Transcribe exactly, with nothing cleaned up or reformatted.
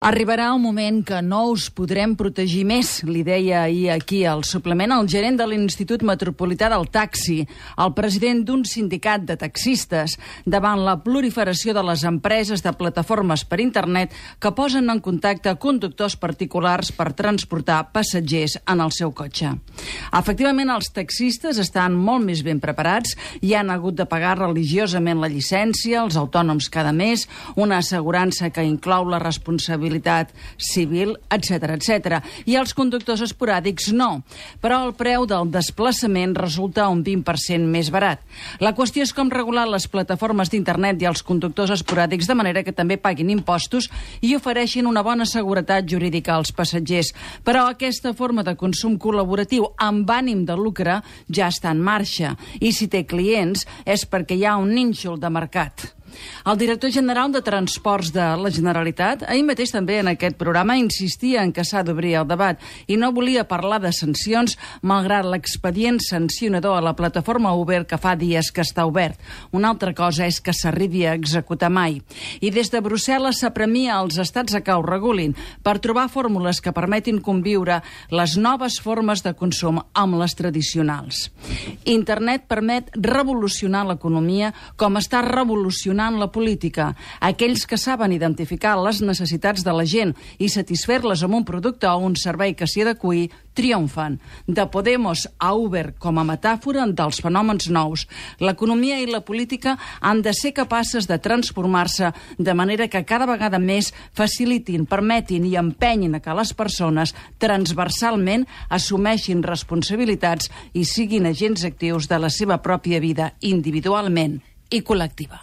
Arribarà un moment que no us podrem protegir més, li deia ahir aquí al suplement el gerent de l'Institut Metropolità del Taxi, el president d'un sindicat de taxistes, davant la proliferació de les empreses de plataformes per internet que posen en contacte conductors particulars per transportar passatgers en el seu cotxe. Efectivament, els taxistes estan molt més ben preparats i han hagut de pagar religiosament la llicència, els autònoms cada mes, una assegurança que inclou la responsabilitat civil, etcètera, etcètera. I els conductors esporàdics no. Però el preu del desplaçament resulta un vint per cent més barat. La qüestió és com regular les plataformes d'internet i els conductors esporàdics de manera que també paguin impostos i ofereixin una bona seguretat jurídica als passatgers. Però aquesta forma de consum col·laboratiu amb ànim de lucre ja està en marxa. I si té clients és perquè hi ha un nínxol de mercat. El director general de Transports de la Generalitat ahir mateix també en aquest programa insistia en que s'ha d'obrir el debat i no volia parlar de sancions malgrat l'expedient sancionador a la plataforma Uber que fa dies que està obert. Una altra cosa és que s'arribi a executar mai. I des de Brussel·les s'apremia als estats a que ho regulin per trobar fórmules que permetin conviure les noves formes de consum amb les tradicionals. Internet permet revolucionar l'economia com està revolucionant la política. Aquells que saben identificar les necessitats de la gent i satisfer-les amb un producte o un servei que s'hi adeqüi, triomfen. De Podemos a Uber com a metàfora dels fenòmens nous, l'economia i la política han de ser capaces de transformar-se de manera que cada vegada més facilitin, permetin i empenyin a que les persones transversalment assumeixin responsabilitats i siguin agents actius de la seva pròpia vida individualment i col·lectiva.